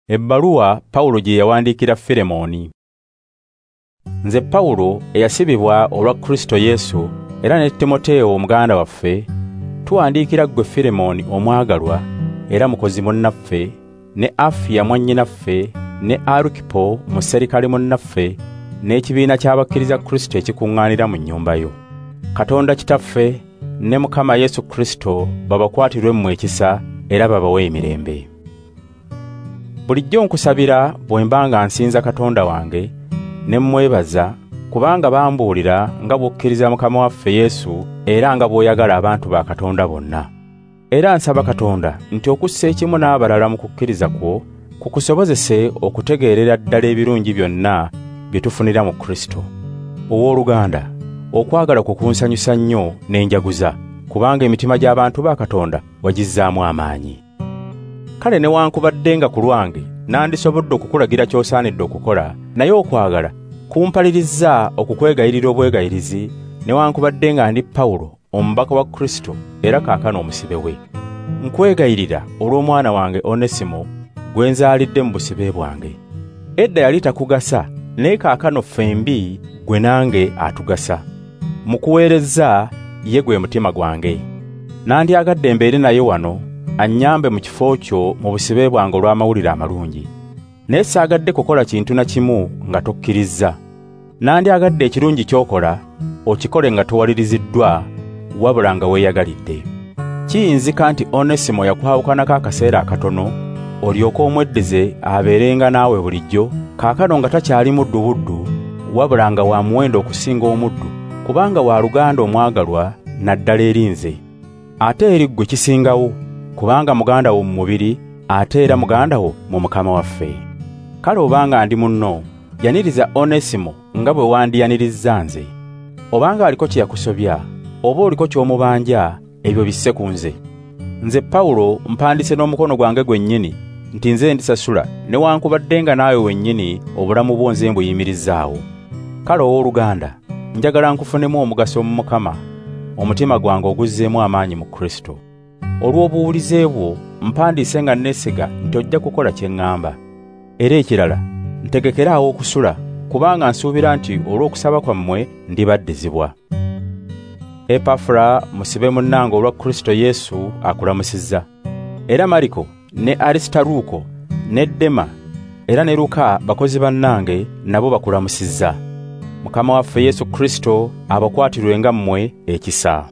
Ebbaluwa Pawulo gye yawandiikira Filemooni. Nze Pawulo eyasibibwa olwa Kristo Yesu era ne Timoteewo muganda waffe, tuwandiikira ggwe Filemooni omwagalwa era mukozi munnaffe, ne Afiya mwannyinaffe, ne Arukipo muserikale munnaffe, n'ekibiina ky'abakkiriza Kristo ekikuŋŋaanira mu nnyumba yo. Katonda Kitaffe ne Mukama Yesu Kristo babakwatirwe mmwe ekisa era babawe emirembe. Bulijjo nkusabira bwe mba nga nsinza Katonda wange ne mmwebaza, kubanga bambuulira nga bw'okkiriza Mukama waffe Yesu era nga bw'oyagala abantu ba Katonda bonna. Era nsaba Katonda nti okussa ekimu n'abalala mu kukkiriza kwo kukusobozese okutegeerera ddala ebirungi byonna bye tufunira mu Kristo. Owooluganda, okwagala kwo kunsanyusa nnyo ne njaguza, kubanga emitima gy'abantu ba Katonda wagizzaamu amaanyi. Kale newankubadde nga ku lwange nandisobodde okukulagira ky'osaanidde okukola, naye okwagala kumpalirizza okukwegayirira obwegayirizi, newankubadde nga ndi Pawulo omubaka wa Kristo era kaakano omusibe we. Nkwegayirira olw'omwana wange Onesimo gwe nzaalidde mu busibe bwange. Edda yali takugasa, naye kaakano ffembi gwe nange atugasa. Mu kuweereza ye gwe mutima gwange. Nandyagadde mbeere naye wano annyambe mu kifo kyo mu busibe bwange olw'amawulire amalungi. Naye saagadde kukola kintu na kimu nga tokkirizza. Nandyagadde ekirungi ky'okola okikole nga towaliriziddwa, wabula nga weeyagalidde. Kiyinzika nti Onesimo yakwawukanako akaseera akatono, olyoke omweddize abeerenga naawe bulijjo, kaakano nga takyali muddu buddu, wabula nga wa muwendo okusinga omuddu, kubanga wa luganda omwagalwa naddala eri nze. Ate eri ggwe kisingawo, kubanga muganda wo mu mubiri, ate era muganda wo mu Mukama waffe. Kale obanga ndi munno, yaniriza Onesimo nga bwe wandiyanirizza nze. Obanga aliko kye yakusobya, oba oliko ky'omubanja, ebyo bisse ku nze. Nze Pawulo mpandise n'omukono gwange gwennyini nti nze ndisasula, newankubadde nga naawe wennyini obulamu bwo nze mbuyimirizzaawo. Kale owooluganda, njagala nkufunemu omugaso mu Mukama, omutima gwange oguzzeemu amaanyi mu Kristo. Olw'obuwulize bwo mpandiise nga neesiga nti ojja kukola kye ŋŋamba. Era ekirala, ntegekere awo okusula, kubanga nsuubira nti olw'okusaba kwammwe ndibaddizibwa. Epafula musibe munnange olwa Kristo Yesu akulamusizza. Era Mariko ne Arisitaruko ne Dema era ne Luka bakozi bannange nabo bakulamusizza. Mukama waffe Yesu Kristo abakwatirwenga mmwe ekisa.